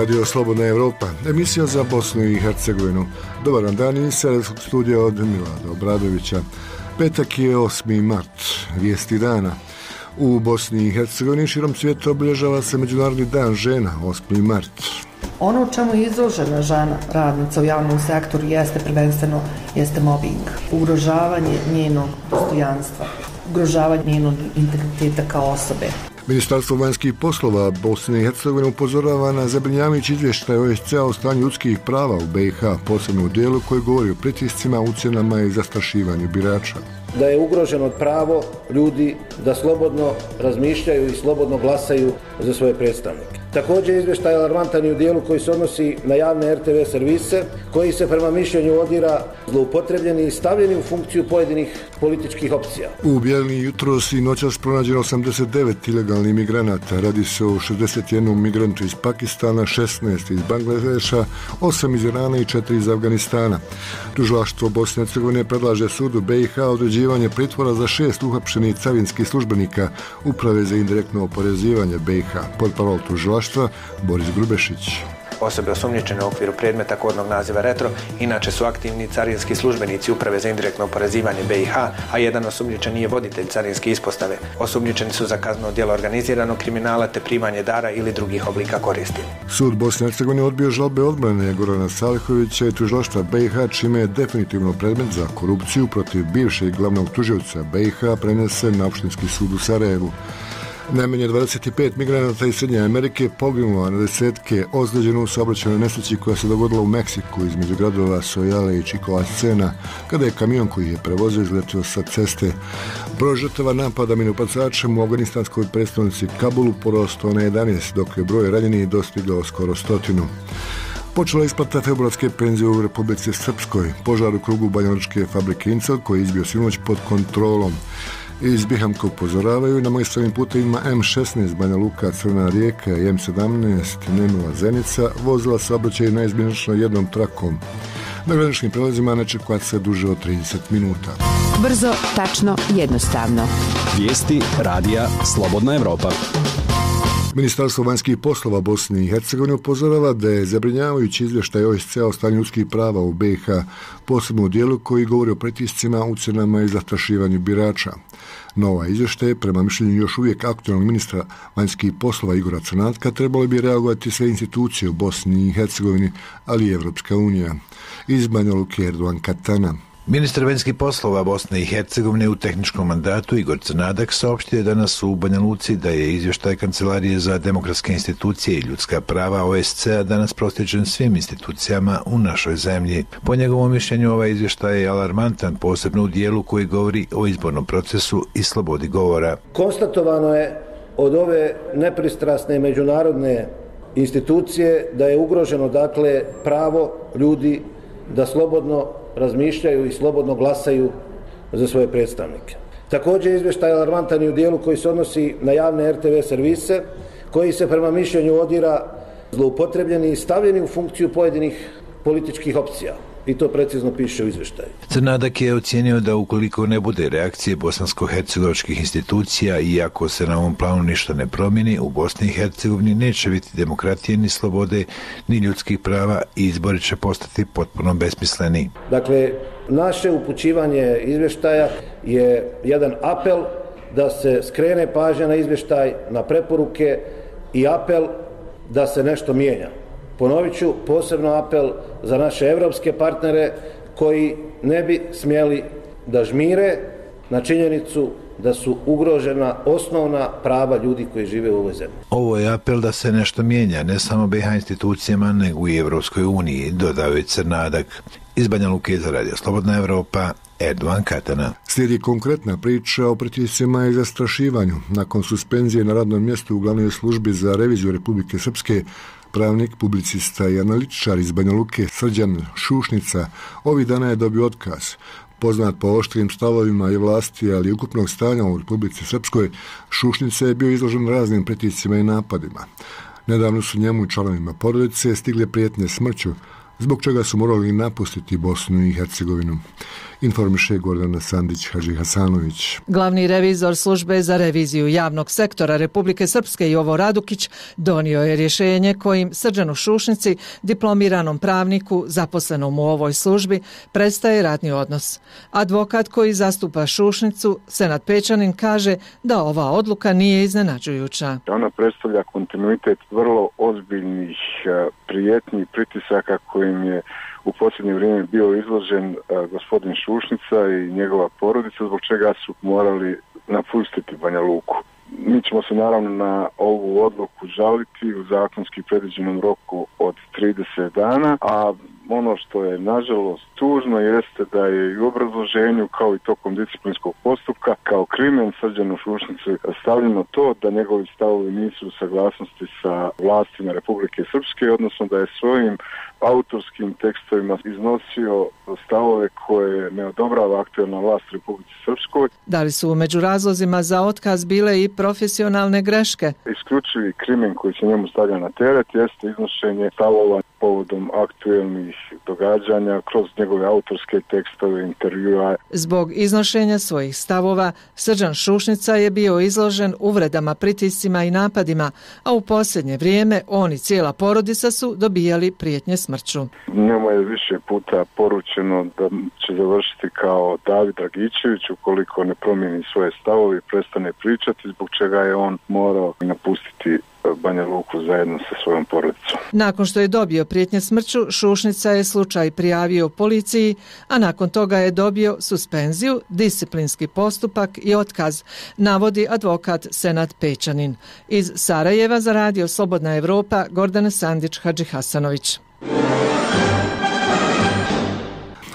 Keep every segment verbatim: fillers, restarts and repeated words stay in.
Radio Slobodna Evropa, emisija za Bosnu i Hercegovinu. Dobar vam dan iz serijskog studija od Milada Obradovića. Petak je osmi mart, vijesti dana. U Bosni i Hercegovini širom svijeta obilježava se Međunarodni dan žena, osmi mart. Ono u čemu je izložena žena, radnica u javnom sektoru, jeste prvenstveno jeste mobbing, ugrožavanje njenog dostojanstva, ugrožavanje njenog integriteta kao osobe. Ministarstvo vanjskih poslova Bosne i Hercegovine upozorava na zabrinjavajući izvještaj O E S C-a o stanju ljudskih prava u B i H, posebno u dijelu koji govori o pritiscima, ucjenama i zastrašivanju birača. Da je ugroženo pravo ljudi da slobodno razmišljaju i slobodno glasaju za svoje predstavnike. Također izvještaj je alarmantan i u dijelu koji se odnosi na javne R T V servise, koji se prema mišljenju ODIHR-a zloupotrebljeni i stavljeni u funkciju pojedinih političkih opcija. U Bijeljni jutros i noćas pronađeno osamdeset devet ilegalnih migranata. Radi se o šezdeset jednom migrantu iz Pakistana, šesnaest iz Bangladeša, osam iz Irana i četiri iz Afganistana. Tužilaštvo Bosne i Hercegovine predlaže sudu B i H određivanje pritvora za šest uhapšenih carinskih službenika Uprave za indirektno oporezivanje B i H. Portparol tužilaštva Boris Grubešić. Osobe osumnjičene u okviru predmeta kodnog naziva Retro inače su aktivni carinski službenici Uprave za indirektno oporezivanje B i H, a jedan osumnjičeni je voditelj carinske ispostave. Osumnjičeni su za kazneno djelo organiziranog kriminala te primanje dara ili drugih oblika koristi. Sud Bosne i Hercegovine odbio žalbe odbrane Gorana Salihovića i tužilaštva B i H, čime je definitivno predmet za korupciju protiv bivšeg glavnog tužioca B i H prenesen na Opštinski sud u Sarajevu. Najmanje dvadeset pet migranata iz Srednje Amerike poginulo, a na desetke ozlijeđeno u saobraćajnoj nesreći koja se dogodila u Meksiku između gradova Sojale i Čikolascena, kada je kamion koji je prevozio izletio sa ceste. Broj žrtava napada minobacačem u afganistanskoj prestonici Kabulu porastao na jedanaest, dok je broj ranjenih dostigao skoro stotinu. Počela isplata februarske penzije u Republici Srpskoj. Požar u krugu banjalučke fabrike Incel koji je izbio sinoć pod kontrolom. Iz Bihamka upozoravaju na magistralnim putevima M šesnaest Banja Luka Crna Rijeka i M sedamnaest Nenova Zenica vozila saobraćaj neizbježno jednom trakom. Na graničnim prelazima ne čekuje se duže od trideset minuta. Brzo, tačno, jednostavno. Vijesti radija Slobodna Evropa. Ministarstvo vanjskih poslova Bosne i Hercegovine upozorava da je zabrinjavajući izvještaj O E S C-a o stanju ljudskih prava u B i H, posebno u dijelu koji govori o pritiscima, ucjenama i zastrašivanju birača. Nova izvještaj, prema mišljenju još uvijek aktualnog ministra vanjskih poslova Igora Crnatka, trebali bi reagovati sve institucije u Bosni i Hercegovini, ali i Evropska unija. Iz Banja Luke Erdogan Katana. Ministar vanjskih poslova Bosne i Hercegovine u tehničkom mandatu Igor Crnadak saopštio je danas u Banja Luci da je izvještaj Kancelarije za demokratske institucije i ljudska prava O E S C-a danas proslijeđen svim institucijama u našoj zemlji. Po njegovom mišljenju ovaj izvještaj je alarmantan, posebno u dijelu koji govori o izbornom procesu i slobodi govora. Konstatovano je od ove nepristrasne međunarodne institucije da je ugroženo dakle pravo ljudi da slobodno razmišljaju i slobodno glasaju za svoje predstavnike. Također izvještaj je alarmantan i u dijelu koji se odnosi na javne R T V servise, koji se prema mišljenju ODIHR-a zloupotrebljeni i stavljeni u funkciju pojedinih političkih opcija. I to precizno piše u izvještaju. Crnadak je ocijenio da ukoliko ne bude reakcije bosansko-hercegovačkih institucija i ako se na ovom planu ništa ne promijeni, u Bosni i Hercegovini neće biti demokratije ni slobode, ni ljudskih prava i izbori će postati potpuno besmisleni. Dakle, naše upućivanje izvještaja je jedan apel da se skrene pažnja na izvještaj, na preporuke i apel da se nešto mijenja. Ponovit ću, posebno apel za naše evropske partnere koji ne bi smjeli da žmire na činjenicu da su ugrožena osnovna prava ljudi koji žive u ovoj zemlji. Ovo je apel da se nešto mijenja, ne samo B i H institucijama, nego i Evropskoj uniji, dodao je Crnadak. Iz Banja Luke za Radio Slobodna Evropa, Erdogan Katana. Slijedi konkretna priča o pritiscima i zastrašivanju. Nakon suspenzije na radnom mjestu u glavnoj službi za reviziju Republike Srpske, pravnik, publicista i analitičar iz Banja Luke Srđan Šušnica ovih dana je dobio otkaz. Poznat po oštrim stavovima i vlasti, ali i ukupnog stanja u Republici Srpskoj, Šušnica je bio izložen raznim pritiscima i napadima. Nedavno su njemu i članovima porodice stigle prijetnje smrću, zbog čega su morali napustiti Bosnu i Hercegovinu. Informiše Gordana Sandić-Hadžihasanović. Glavni revizor službe za reviziju javnog sektora Republike Srpske Jovo Radukić donio je rješenje kojim Srđanu Šušnici, diplomiranom pravniku zaposlenom u ovoj službi, prestaje radni odnos. Advokat koji zastupa Šušnicu, Senad Pečanin, kaže da ova odluka nije iznenađujuća. Ona predstavlja kontinuitet vrlo ozbiljnih prijetnji i pritisaka kojim je u posljednje vrijeme bio izložen gospodin Šušnica i njegova porodica, zbog čega su morali napustiti Banja Luku. Mi ćemo se naravno na ovu odluku žaliti u zakonski predviđenom roku od trideset dana, a ono što je nažalost tužno jeste da je i u obrazloženju kao i tokom disciplinskog postupka kao krimen Srđanu Šušnicu stavljeno to da njegovi stavovi nisu u saglasnosti sa vlastima Republike Srpske, odnosno da je svojim autorskim tekstovima iznosio stavove koje ne odobrava aktualna vlast Republike Srpskoj. Da li su među razlozima za otkaz bile i profesionalne greške? Isključivi krimen koji se njemu stavlja na teret jeste iznošenje stavova povodom aktualnih događanja kroz njegove autorske tekstove, intervjua. Zbog iznošenja svojih stavova, Srđan Šušnica je bio izložen uvredama, pritiscima i napadima, a u posljednje vrijeme on i cijela porodica su dobijali prijetnje smrću. Njemu je više puta poručeno da će završiti kao David Dragičević ukoliko ne promijeni svoje stavove i prestane pričati, zbog čega je on morao napustiti Banja Luku zajedno sa svojom porodicom. Nakon što je dobio prijetnje smrću, Šušnica je slučaj prijavio policiji, a nakon toga je dobio suspenziju, disciplinski postupak i otkaz, navodi advokat Senad Pečanin. Iz Sarajeva za radio Slobodna Evropa, Gordana Sandić-Hadžihasanović.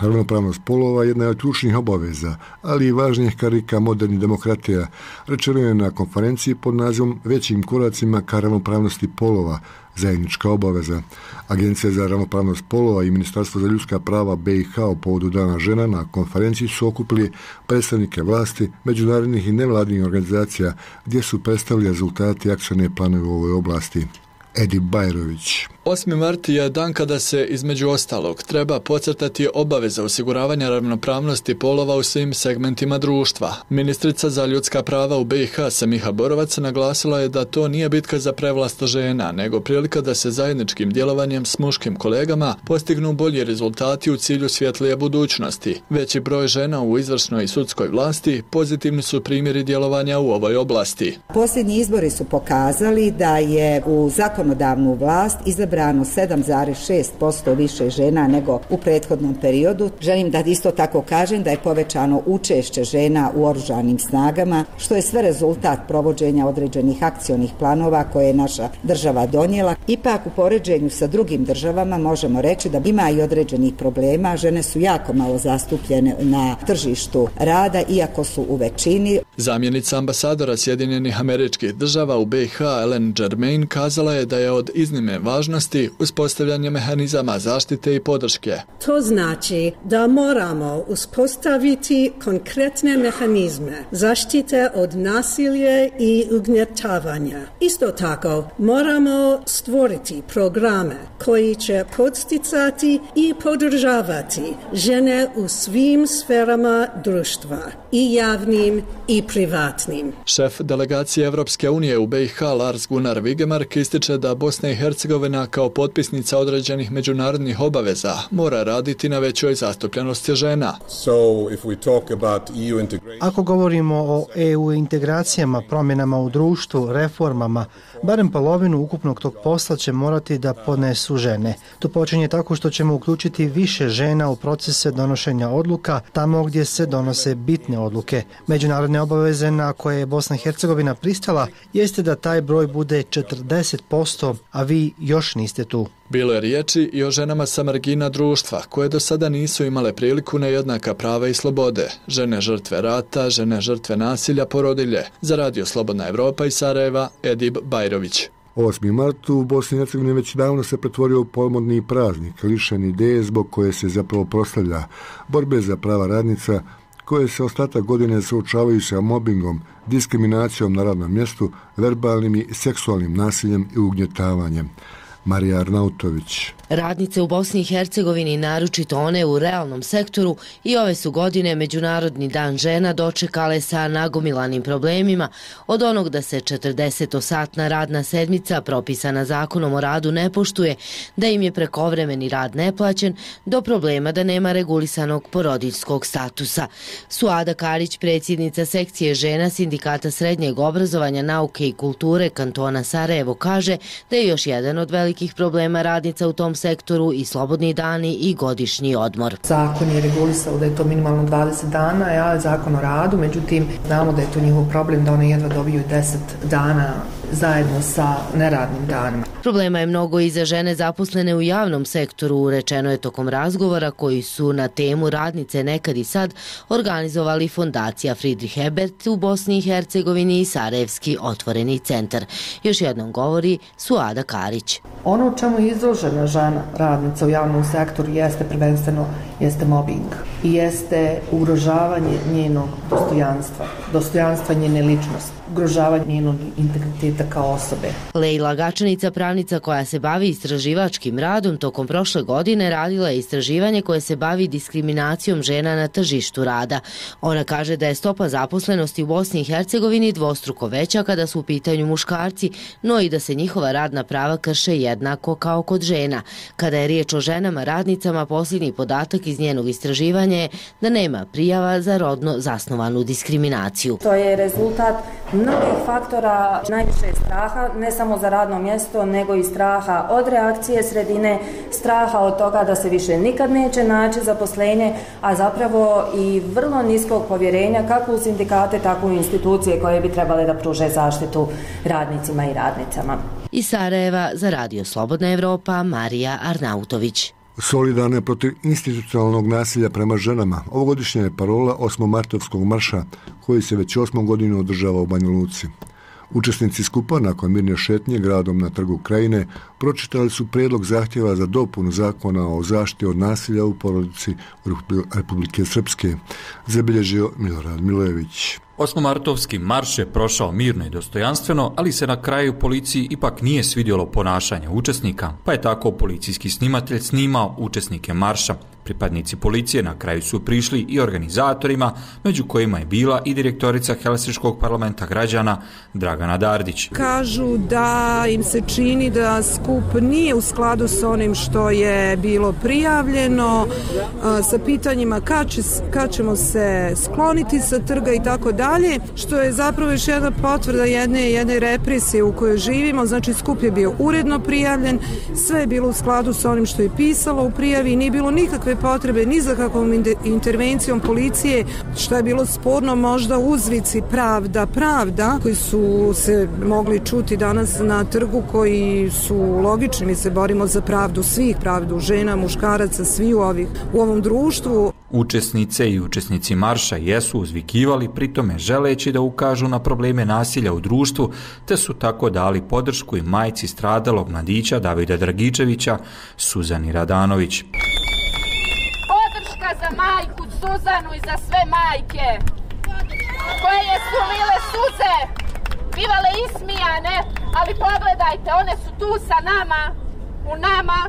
Ravnopravnost polova jedna je od ključnih obaveza, ali i važnijih karika modernih demokratija, rečeno je na konferenciji pod nazivom Većim koracima ka ravnopravnosti polova, zajednička obaveza. Agencija za ravnopravnost polova i Ministarstvo za ljudska prava B i H u povodu Dana žena na konferenciji su okupili predstavnike vlasti, međunarodnih i nevladinih organizacija gdje su predstavili rezultati akcione planove u ovoj oblasti. Edi Bajrović. osmi mart je dan kada se, između ostalog, treba podcrtati obaveza osiguravanja ravnopravnosti polova u svim segmentima društva. Ministrica za ljudska prava u B i H Semiha Borovac naglasila je da to nije bitka za prevlast žena, nego prilika da se zajedničkim djelovanjem s muškim kolegama postignu bolji rezultati u cilju svjetlije budućnosti. Veći broj žena u izvršnoj i sudskoj vlasti pozitivni su primjeri djelovanja u ovoj oblasti. Posljednji izbori su pokazali da je u zakonodavnu vlast izabrano sedam zarez šest posto više žena nego u prethodnom periodu. Želim da isto tako kažem da je povećano učešće žena u oružanim snagama, što je sve rezultat provođenja određenih akcionih planova koje je naša država donijela. Ipak u poređenju sa drugim državama možemo reći da ima i određenih problema. Žene su jako malo zastupljene na tržištu rada, iako su u većini. Zamjenica ambasadora Sjedinjenih Američkih Država u B i H Ellen Germain kazala je da je od iznimne važnosti uspostavljanje mehanizama zaštite i podrške. To znači da moramo uspostaviti konkretne mehanizme zaštite od nasilja i ugnjetavanja. Isto tako moramo stvoriti programe koji će podsticati i podržavati žene u svim sferama društva, i javnim i privatnim. Šef delegacije Evropske unije u B i H Lars Gunnar Vigemark ističe da Bosna i Hercegovina kao potpisnica određenih međunarodnih obaveza mora raditi na većoj zastupljenosti žena. Ako govorimo o E U integracijama, promjenama u društvu, reformama, barem polovinu ukupnog tog posla će morati da podnesu žene. To počinje tako što ćemo uključiti više žena u procese donošenja odluka tamo gdje se donose bitne odluke. Međunarodne obaveze na koje je Bosna i Hercegovina pristala jeste da taj broj bude četrdeset posto, a vi još niste tu. Bilo je riječi i o ženama sa margina društva, koje do sada nisu imale priliku na jednaka prava i slobode. Žene žrtve rata, žene žrtve nasilja, porodilje. Za radio Slobodna Evropa iz Sarajeva, Edib Bajrović. osmi mart u Bosni i Hercegovini već davno se pretvorio u pomodni praznik, lišen ideje zbog koje se zapravo proslavlja borbe za prava radnica, koje se ostatak godine suočavaju sa mobingom, diskriminacijom na radnom mjestu, verbalnim i seksualnim nasiljem i ugnjetavanjem. Marija Arnautović. Radnice u Bosni i Hercegovini, naročito one u realnom sektoru, i ove su godine Međunarodni dan žena dočekale sa nagomilanim problemima, od onog da se četrdesetsatna radna sedmica propisana zakonom o radu ne poštuje, da im je prekovremeni rad neplaćen, do problema da nema regulisanog porodiljskog statusa. Suada Karić, predsjednica sekcije žena Sindikata srednjeg obrazovanja, nauke i kulture kantona Sarajevo, kaže da je još jedan od velikih problema radnica u tom sektoru i slobodni dani i godišnji odmor. Zakon je regulisao da je to minimalno dvadeset dana, ja zakon o radu, međutim znamo da je to njihov problem da one jedva dobiju deset dana zajedno sa neradnim danima. Problema je mnogo i za žene zaposlene u javnom sektoru, rečeno je tokom razgovora koji su na temu radnice nekad i sad organizovali Fondacija Friedrich Ebert u Bosni i Hercegovini i Sarajevski otvoreni centar. Još jednom govori Suada Karić. Ono u čemu je izložena žena radnica u javnom sektoru jeste prvenstveno jeste mobbing i jeste ugrožavanje njenog dostojanstva, dostojanstva njene ličnosti, ugrožavanje njenog integriteta kao osobe. Lejla Gačanica, pravnica koja se bavi istraživačkim radom, tokom prošle godine radila je istraživanje koje se bavi diskriminacijom žena na tržištu rada. Ona kaže da je stopa zaposlenosti u Bosni i Hercegovini dvostruko veća kada su u pitanju muškarci, no i da se njihova radna prava krše jednako kao kod žena. Kada je riječ o ženama radnicama, posljednji podatak iz njenog istraživanja je da nema prijava za rodno zasnovanu diskriminaciju. To je rezultat mnogih faktora, najviše straha, ne samo za radno mjesto, nego i straha od reakcije sredine, straha od toga da se više nikad neće naći zaposlenje, a zapravo i vrlo niskog povjerenja kako u sindikate, tako u institucije koje bi trebale da pruže zaštitu radnicima i radnicama. Iz Sarajeva za Radio Slobodna Evropa, Marija Arnautović. Solidarne protiv institucionalnog nasilja prema ženama. Ovogodišnja je parola osmomartovskog marša koji se već osmu godinu održava u Banja Luci. Učesnici skupa nakon mirne šetnje gradom na Trgu Krajine pročitali su prijedlog zahtjeva za dopunu zakona o zaštiti od nasilja u porodici Republike Srpske, zabilježio Milorad Milojević. Osmomartovski marš je prošao mirno i dostojanstveno, ali se na kraju policiji ipak nije svidjelo ponašanje učesnika, pa je tako policijski snimatelj snimao učesnike marša. Pripadnici policije na kraju su prišli i organizatorima, među kojima je bila i direktorica Helsinškog parlamenta građana Dragana Dardić. Kažu da im se čini da skup nije u skladu s onim što je bilo prijavljeno, sa pitanjima kad, će, kad ćemo se skloniti sa trga i tako dalje, što je zapravo još jedna potvrda jedne, jedne represije u kojoj živimo. Znači skup je bio uredno prijavljen, sve je bilo u skladu s onim što je pisalo u prijavi i nije bilo nikakve potrebe ni za kakvom intervencijom policije, što je bilo sporno možda uzvici pravda, pravda, koji su se mogli čuti danas na trgu, koji su logični. Mi se borimo za pravdu svih, pravdu žena, muškaraca, svi u, ovih, u ovom društvu. Učesnice i učesnici marša jesu uzvikivali, pritome želeći da ukažu na probleme nasilja u društvu, te su tako dali podršku i majci stradalog mladića Davida Dragičevića, Suzani Radanović. Podrška za majku Suzanu i za sve majke koje su lile suze, bivale ismijane, ali pogledajte, one su tu sa nama, u nama,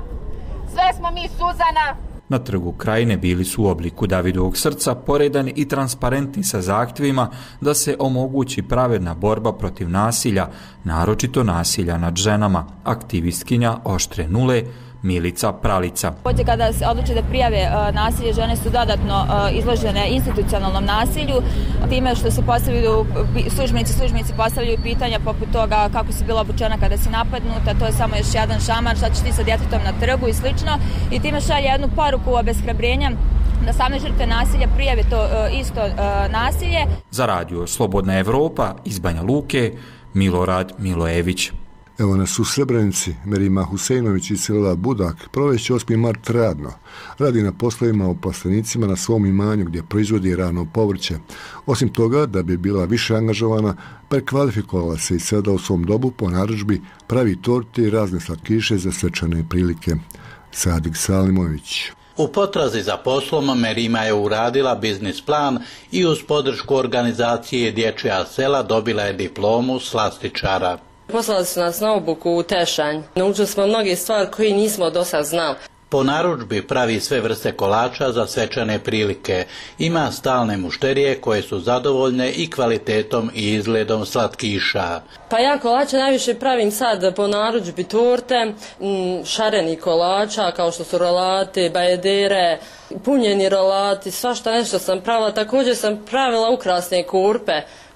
sve smo mi Suzana. Na Trgu Krajine bili su u obliku Davidovog srca poredani i transparentni sa zahtjevima da se omogući pravedna borba protiv nasilja, naročito nasilja nad ženama. Aktivistkinja Oštre nule Milica Pralica. Kada se odluče da prijave nasilje, žene su dodatno izložene institucionalnom nasilju, time što se postavljaju službenici, službenici postavljaju pitanja poput toga kako si bila obučena kada si napadnuta, to je samo još jedan šamar, šta ćeš ti sa djetetom na trgu i slično, i time šalje jednu poruku obeshrabrenja da same žrtve nasilja prijave to isto nasilje. Za Radio Slobodna Evropa iz Banja Luke, Milorad Milojević. Evo nas u Srebrenici, Merima Husejnović iz sela Budak provešće osmi mart radno. Radi na poslovima u plastenicima na svom imanju gdje proizvodi rano povrće. Osim toga, da bi bila više angažovana, prekvalifikovala se i sada u svom dobu po narudžbi pravi torte i razne slatkiše za svečane prilike. Sadik Salimović. U potrazi za poslom Merima je uradila biznis plan i uz podršku organizacije Dječja sela dobila je diplomu slastičara. Poslali su nas na obuku u Tešanj. Naučili smo mnoge stvari koje nismo do sad znali. Po narudžbi pravi sve vrste kolača za svečane prilike. Ima stalne mušterije koje su zadovoljne i kvalitetom i izgledom slatkiša. Pa ja kolače najviše pravim sad po narudžbi torte, šareni kolača kao što su rolate, bajedere, punjeni rolati, svašta nešto sam pravila. Također sam pravila ukrasne kurpe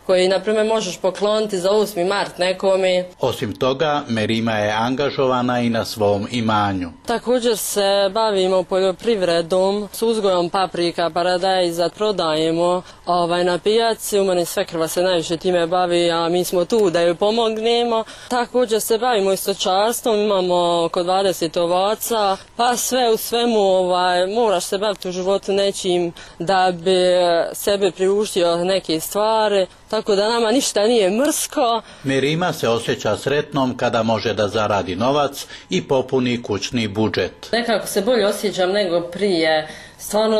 koji, na primjer, možeš pokloniti za osmi mart nekome. Osim toga, Merima je angažovana i na svom imanju. Također se bavimo poljoprivredom, s uzgojom paprika, paradajza, prodajemo ovaj, na pijaci. U meni svekrva se najviše time bavi, a mi smo tu da joj pomognemo. Također se bavimo i stočarstvom, imamo oko dvadeset ovaca, pa sve u svemu ovaj, moraš se baviti u životu nečim da bi sebe priuštio neke stvari. Tako da nama ništa nije mrsko. Merima se osjeća sretnom kada može da zaradi novac i popuni kućni budžet. Nekako se bolje osjećam nego prije. Stvarno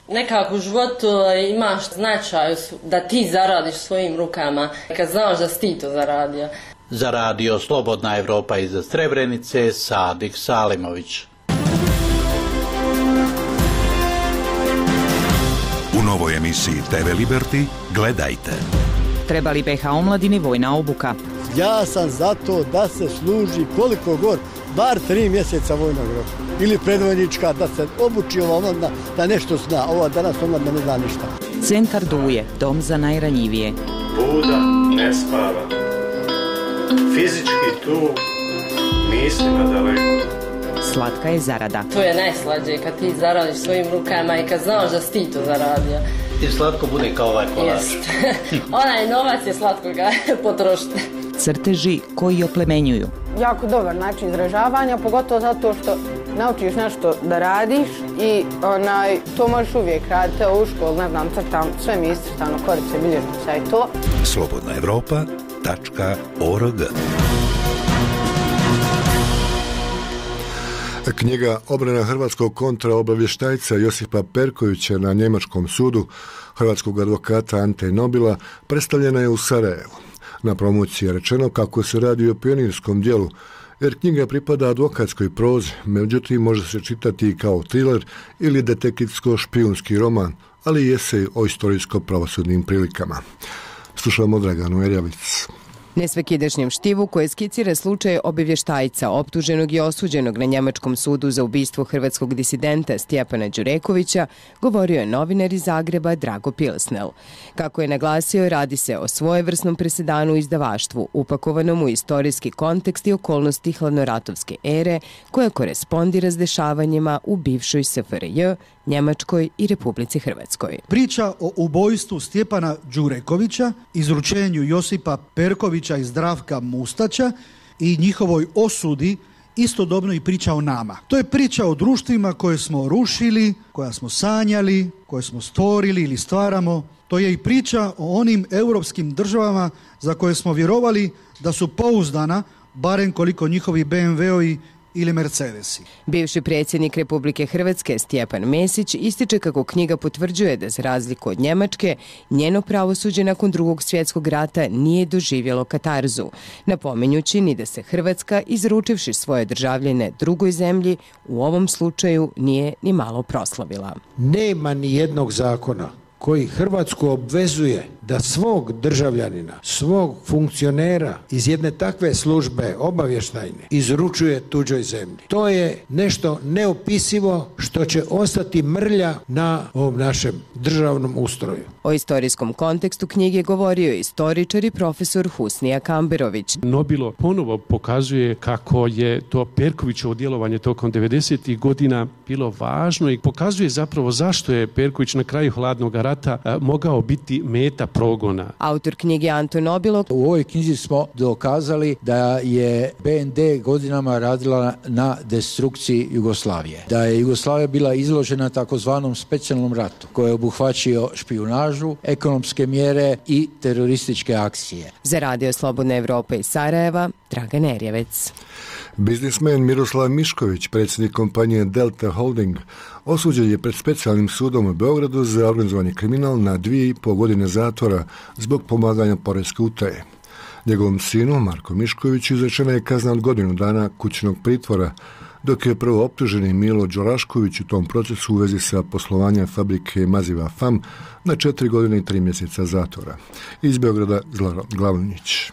nekako u životu imaš značaj da ti zaradiš svojim rukama. Kad znaš da si ti to zaradio. Za radio Slobodna Evropa iz Srebrenice, Sadik Salimović. U novoj emisiji te ve Liberty gledajte. Treba li be ha omladini vojna obuka? Ja sam za to da se služi koliko god, bar tri mjeseca vojnog roka. Ili predvojnička, da se obuči ova omladina, da nešto zna. Ova danas omladina ne zna ništa. Centar Duje, dom za najranjivije. Buda ne spava. Fizički tu, mislima daleko. Slatka je zarada. To je najslađe kad ti zaradiš svojim rukama i kad znaš da si ti to zaradio. I slatko bude kao ovaj kolač. Onaj novac je slatko ga potrošiti. Crteži koji oplemenjuju. Jako dobar način izražavanja, pogotovo zato što naučiš nešto da radiš i onaj, to možeš uvijek raditi. Evo u školu, ne znam, crtam, sve mi je iscrtano, korice, bilježnica i to. slobodna evropa tačka org. Knjiga Obrana hrvatskog kontraobavještajca Josipa Perkovića na njemačkom sudu hrvatskog advokata Ante Nobila predstavljena je u Sarajevu. Na promociji je rečeno kako se radi o pionirskom dijelu, jer knjiga pripada advokatskoj prozi, međutim može se čitati kao thriller ili detektivsko-špijunski roman, ali i esej o istorijsko-pravosudnim prilikama. Slušamo Draganu Erjavic. Nesvakidašnjem štivu koje skicira slučaj obavještajca optuženog i osuđenog na njemačkom sudu za ubistvo hrvatskog disidenta Stjepana Đurekovića govorio je novinar iz Zagreba Drago Pilsnel. Kako je naglasio, radi se o svojevrsnom presedanu u izdavaštvu, upakovanom u istorijski kontekst i okolnosti hladnoratovske ere koja korespondira s dešavanjima u bivšoj S F R J, Njemačkoj i Republici Hrvatskoj. Priča o ubojstvu Stjepana Đurekovića, izručenju Josipa Perkovića i Zdravka Mustaća i njihovoj osudi istodobno i priča o nama. To je priča o društvima koje smo rušili, koja smo sanjali, koje smo stvorili ili stvaramo. To je i priča o onim europskim državama za koje smo vjerovali da su pouzdana, barem koliko njihovi be em ve-ovi ili Mercedesi. Bivši predsjednik Republike Hrvatske Stjepan Mesić ističe kako knjiga potvrđuje da za razliku od Njemačke, njeno pravosuđe nakon drugog svjetskog rata nije doživjelo katarzu, napominjući ni da se Hrvatska, izručivši svoje državljane drugoj zemlji, u ovom slučaju nije ni malo proslavila. Nema ni jednog zakona koji Hrvatsku obvezuje da svog državljanina, svog funkcionera iz jedne takve službe obavještajne izručuje tuđoj zemlji. To je nešto neopisivo što će ostati mrlja na ovom našem državnom ustroju. O istorijskom kontekstu knjige govorio je istoričar i profesor Husnija Kamberović. Nobilo ponovo pokazuje kako je to Perkovićevo djelovanje tokom devedesetih godina bilo važno i pokazuje zapravo zašto je Perković na kraju hladnog rata a, mogao biti meta progona. Autor knjige Anto Nobilo. U ovoj knjizi smo dokazali da je be en de godinama radila na destrukciji Jugoslavije. Da je Jugoslavija bila izložena takozvanom specijalnom ratu koji je obuhvaćio špijunažu, ekonomske mjere i terorističke akcije. Za radio Slobodna Evropa iz Sarajeva, Dragan Erjevec. Biznismen Miroslav Mišković, predsjednik kompanije Delta Holding, osuđen je pred specijalnim sudom u Beogradu za organizovani kriminal na dvije i pol godine zatvora zbog pomaganja poreske utaje. Njegovom sinu, Marko Miškoviću, izrečena je kazna od godinu dana kućnog pritvora, dok je prvo optuženi Milo Đorašković u tom procesu u vezi sa poslovanjem fabrike maziva F A M na četiri godine i tri mjeseca zatvora. Iz Beograda Zlaro Glavnić.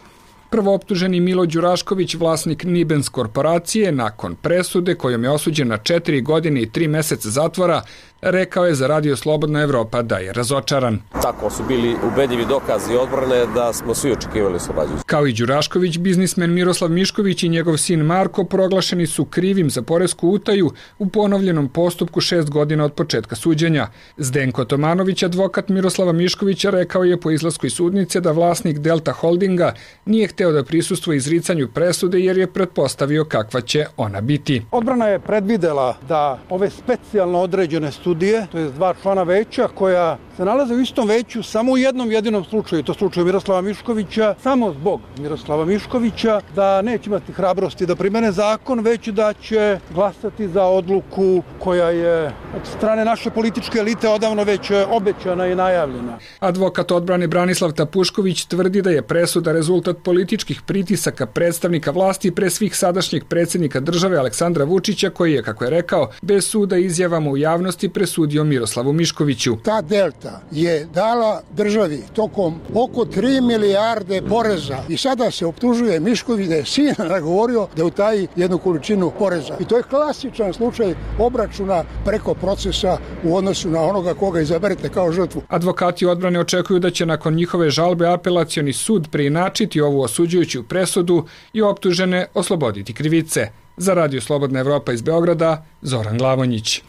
Prvooptuženi Milo Đurašković, vlasnik Nibens korporacije, nakon presude kojom je osuđen na četiri godine i tri mjeseca zatvora, rekao je za Radio Slobodna Evropa da je razočaran. Tako su bili ubedljivi dokazi odbrane da smo svi očekivali oslobađanje. Kao i Đurašković, biznismen Miroslav Mišković i njegov sin Marko proglašeni su krivim za poresku utaju u ponovljenom postupku šest godina od početka suđenja. Zdenko Tomanović, advokat Miroslava Miškovića, rekao je po izlasku iz sudnice da vlasnik Delta Holdinga nije hteo da prisustvuje izricanju presude jer je pretpostavio kakva će ona biti. Odbrana je predvidela da ove specijalno određene studije, to je dva člana veća koja se nalaze u istom veću samo u jednom jedinom slučaju, to slučaju Miroslava Miškovića, samo zbog Miroslava Miškovića, da neće imati hrabrosti da primene zakon, već da će glasati za odluku koja je od strane naše političke elite odavno već obećana i najavljena. Advokat odbrane Branislav Tapušković tvrdi da je presuda rezultat političkih pritisaka predstavnika vlasti pre svih sadašnjeg predsjednika države Aleksandra Vučića, koji je, kako je rekao, bez suda izjavama u javnosti presudio Miroslavu Miškoviću. Ta Delta je dala državi tokom oko tri milijarde poreza i sada se optužuje Mišković da je sin nagovorio da utaji jednu količinu poreza. I to je klasičan slučaj obračuna preko procesa u odnosu na onoga koga izaberete kao žrtvu. Advokati odbrane očekuju da će nakon njihove žalbe apelacioni sud preinačiti ovu osuđujuću presudu i optužene osloboditi krivice. Za Radio Slobodna Evropa iz Beograda, Zoran Glavonjić.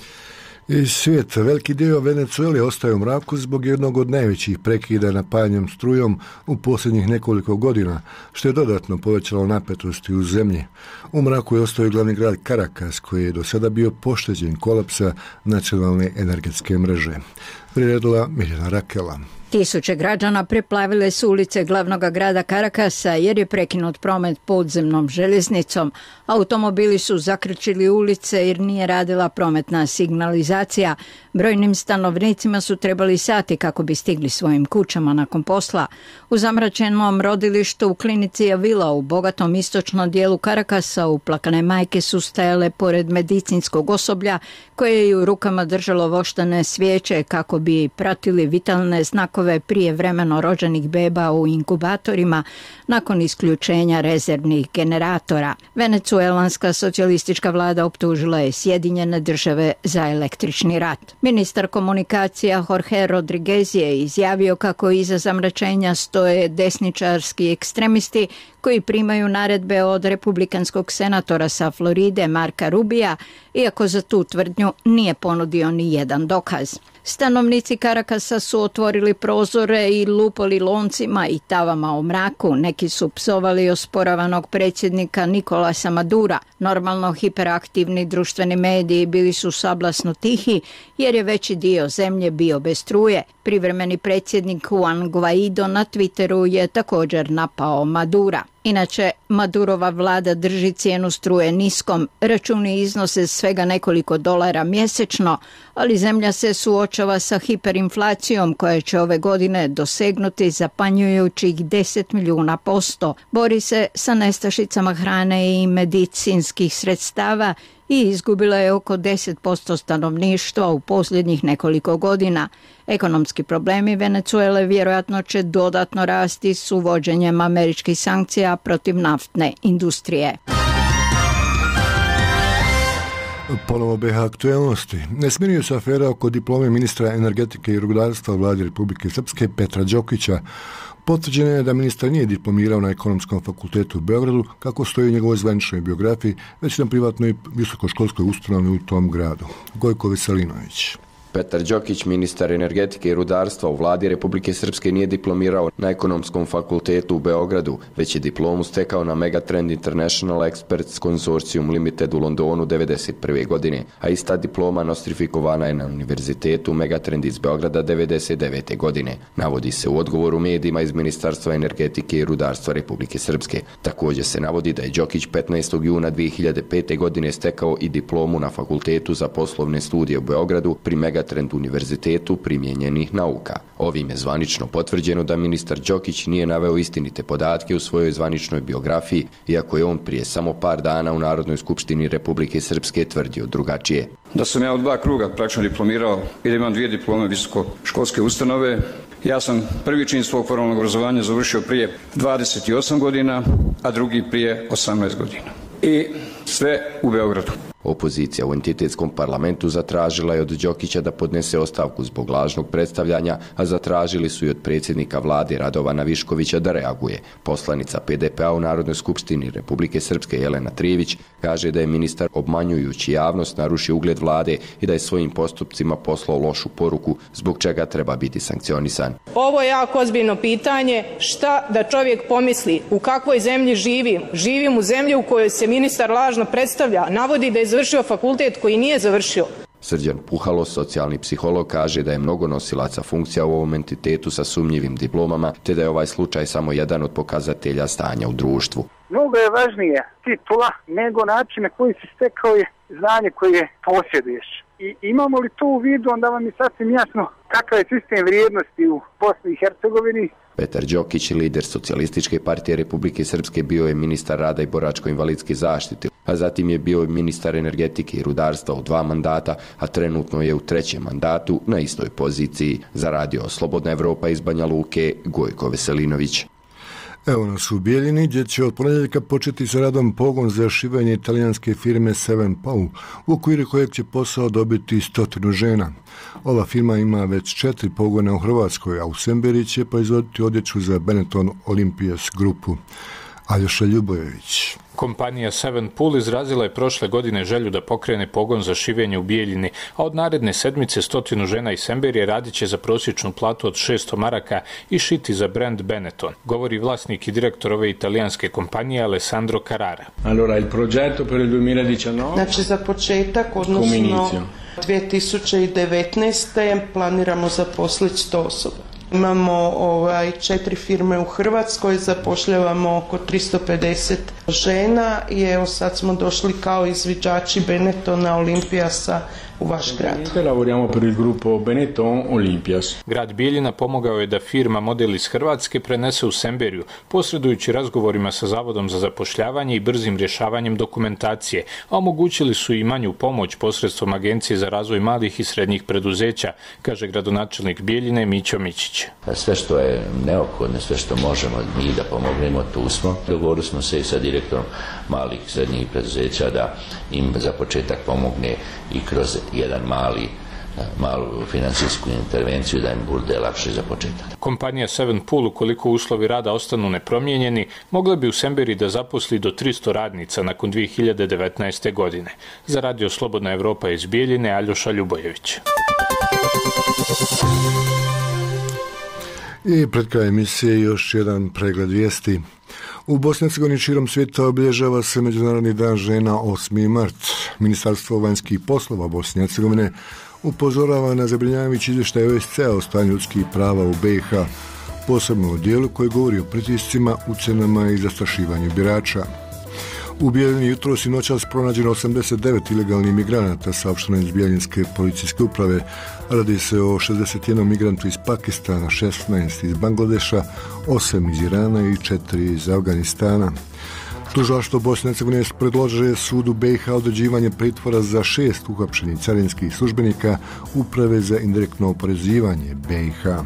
Iz svijeta veliki dio Venecuele ostaje u mraku zbog jednog od najvećih prekida napajanjem strujom u posljednjih nekoliko godina, što je dodatno povećalo napetosti u zemlji. U mraku je ostao glavni grad Caracas, koji je do sada bio pošteđen kolapsa nacionalne energetske mreže. Priredila Mirjana Rakela. Tisuće građana preplavile su ulice glavnog grada Caracasa jer je prekinut promet podzemnom željeznicom. Automobili su zakrčili ulice jer nije radila prometna signalizacija. Brojnim stanovnicima su trebali sati kako bi stigli svojim kućama nakon posla. U zamračenom rodilištu u klinici Avila u bogatom istočnom dijelu Caracasa uplakane majke su stajale pored medicinskog osoblja koje je u rukama držalo voštane svijeće kako bi pratili vitalne znakove prije vremeno rođenih beba u inkubatorima nakon isključenja rezervnih generatora. Venecuelanska socijalistička vlada optužila je Sjedinjene države za električni rat. Ministar komunikacija Jorge Rodriguez je izjavio kako iza zamračenja stoje desničarski ekstremisti koji primaju naredbe od republikanskog senatora sa Floride Marka Rubija, iako za tu tvrdnju nije ponudio ni jedan dokaz. Stanovnici Caracasa su otvorili prozore i lupali loncima i tavama u mraku. Neki su psovali osporavanog predsjednika Nikolasa Madura. Normalno hiperaktivni društveni mediji bili su sablasno tihi jer je veći dio zemlje bio bez struje. Privremeni predsjednik Juan Guaido na Twitteru je također napao Madura. Inače, Madurova vlada drži cijenu struje niskom, računi iznose svega nekoliko dolara mjesečno, ali zemlja se suočava sa hiperinflacijom koja će ove godine dosegnuti zapanjujućih deset milijuna posto. Bori se sa nestašicama hrane i medicinskih sredstava i izgubila je oko deset posto stanovništva u posljednjih nekoliko godina. Ekonomski problemi Venecuele vjerojatno će dodatno rasti s uvođenjem američkih sankcija protiv naftne industrije. Ponovo B H aktuelnosti. Ne smirio se afera oko diplome ministra energetike i rudarstva u vladi Republike Srpske Petra Đokića. Potvrđeno je da ministar nije diplomirao na Ekonomskom fakultetu u Beogradu, kako stoji u njegovoj zvaničnoj biografiji, već na privatnoj visokoškolskoj ustanovi u tom gradu. Gojko Veselinović. Petar Đokić, ministar energetike i rudarstva u vladi Republike Srpske, nije diplomirao na Ekonomskom fakultetu u Beogradu, već je diplomu stekao na Megatrend International Experts Consortium Limited u Londonu devedeset prve. godine, a ista diploma nostrifikovana je na Univerzitetu Megatrend iz Beograda devedeset devete. godine. Navodi se u odgovoru medijima iz Ministarstva energetike i rudarstva Republike Srpske. Također se navodi da je Đokić petnaestog juna dve hiljade pete. godine stekao i diplomu na Fakultetu za poslovne studije u Beogradu pri Megatrend Megatrend univerzitetu primijenjenih nauka. Ovim je zvanično potvrđeno da ministar Đokić nije naveo istinite podatke u svojoj zvaničnoj biografiji, iako je on prije samo par dana u Narodnoj skupštini Republike Srpske tvrdio drugačije. Da sam ja u dva kruga praktično diplomirao i da imam dvije diplome visokoškolske ustanove. Ja sam prvi čin svog formalnog obrazovanja završio prije dvadeset osam godina, a drugi prije osamnaest godina. I sve u Beogradu. Opozicija u entitetskom parlamentu zatražila je od Đokića da podnese ostavku zbog lažnog predstavljanja, a zatražili su i od predsjednika vlade Radovana Viškovića da reaguje. Poslanica P D P-a u Narodnoj skupštini Republike Srpske Jelena Trijević kaže da je ministar obmanjujući javnost narušio ugled vlade i da je svojim postupcima poslao lošu poruku zbog čega treba biti sankcionisan. Ovo je jako ozbiljno pitanje, šta da čovjek pomisli, u kakvoj zemlji živim. Živim u zemlji u kojoj se ministar lažno predstavlja, navodi da je završio fakultet koji nije završio. Srđan Puhalo, socijalni psiholog, kaže da je mnogo nosilaca funkcija u ovom entitetu sa sumnjivim diplomama, te da je ovaj slučaj samo jedan od pokazatelja stanja u društvu. Mnogo je važnije titula nego način na koji si stekao je znanje koje posjeduješ. I imamo li to u vidu, onda vam je sasvim jasno kakav je sistem vrijednosti u Bosni i Hercegovini. Petar Đokić, lider Socijalističke partije Republike Srpske, bio je ministar rada i boračko-invalidske zaštite, a zatim je bio ministar energetike i rudarstva u dva mandata, a trenutno je u trećem mandatu na istoj poziciji. Za radio Slobodna Evropa iz Banja Luke, Gojko Veselinović. Evo nas u Bijeljini, gdje će od ponedjeljka početi sa radom pogon za šivanje italijanske firme Seven Paul, u okviru kojeg će posao dobiti stotinu žena. Ova firma ima već četiri pogona u Hrvatskoj, a u Semberi će proizvoditi odjeću za Benetton Olympias grupu. Aljoša Ljubojević. Kompanija Seven Pool izrazila je prošle godine želju da pokrene pogon za šivenje u Bijeljini, a od naredne sedmice stotinu žena iz Semberije radit će za prosječnu platu od šesto maraka i šiti za brand Benetton, govori vlasnik i direktor ove italijanske kompanije Alessandro Carrara. Allora, il progetto per il duemiladiciannove... Znači, za početak, odnosno dvije tisuće devetnaeste. planiramo zaposliti sto osoba. Imamo ovaj, četiri firme u Hrvatskoj, zapošljavamo oko tristo pedeset žena i evo sad smo došli kao izviđači Benettona Olympiasa u vaš grad. Lavoriamo per il gruppo Benetton Olympias. Grad Bijeljina pomogao je da firma model iz Hrvatske prenese u Semberiju, posredujući razgovorima sa Zavodom za zapošljavanje i brzim rješavanjem dokumentacije, a omogućili su i manju pomoć posredstvom Agencije za razvoj malih i srednjih preduzeća, kaže gradonačelnik Bijeljine Mićo Mićić. Sve što je neophodno, sve što možemo mi da pomognemo, tu smo. Dogovorili smo se i sa direktorom malih i srednjih preduzeća da im za početak pomogne i kroz jedan mali malu financijsku intervenciju da im bude lakše za početak. Kompanija Seven Pool, ukoliko uslovi rada ostanu nepromijenjeni, mogla bi u Semberi da zaposli do tristo radnica nakon dvije hiljade devetnaeste. godine. Za radio Slobodna Evropa iz Bijeljine, Aljoša Ljubojević. I pred kraj emisije još jedan pregled vijesti. U Bosni i Hercegovini širom svijeta obilježava se Međunarodni dan žena osmi mart. Ministarstvo vanjskih poslova Bosne i Hercegovine upozorava na zabrinjavajući izvještaj O S C-a o stanju ljudskih prava u B i H, posebno u dijelu koji govori o pritiscima, ucjenama i zastrašivanju birača. U Bijeljini jutros i noćas pronađeno osamdeset devet ilegalnih migranata, saopšteno iz Bijeljinske policijske uprave. Radi se o šezdeset jednom migrantu iz Pakistana, šesnaest iz Bangladeša, osam iz Irana i četiri iz Afganistana. Tužilaštvo Bosne i Hercegovine predložuje sudu B i H određivanje pritvora za šest uhapšenih carinskih službenika Uprave za indirektno oporezivanje B i H.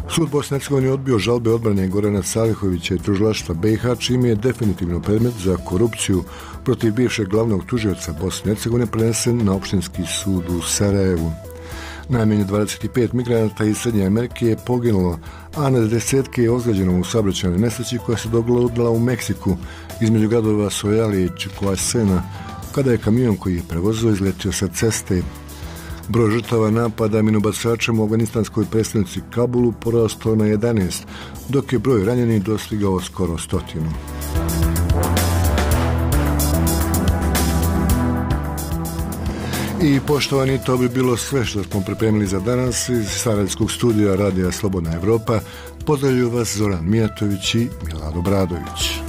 Sud Bosne i Hercegovine odbio žalbe odbrane Gorana Salihovića i tužilaštva B i H, čime je definitivno predmet za korupciju protiv bivšeg glavnog tužioca Bosne i Hercegovine prenesen na opštinski sud u Sarajevu. Najmanje dvadeset pet migranata iz Srednje Amerike je poginulo, a na desetke je ozlijeđeno u saobraćajnoj nesreći koja se dogodila u Meksiku između gradova Sojali i Chicoasena, kada je kamion koji je prevozio izletio sa ceste. Broj žrtava napada minobacačem u afganistanskoj prestonici Kabulu porastao na jedanaest, dok je broj ranjenih dostigao skoro stotinu. I poštovani, to bi bilo sve što smo pripremili za danas iz sarajevskog studija Radija Slobodna Evropa. Pozdravljuju vas Zoran Mijatović i Milad Obradović.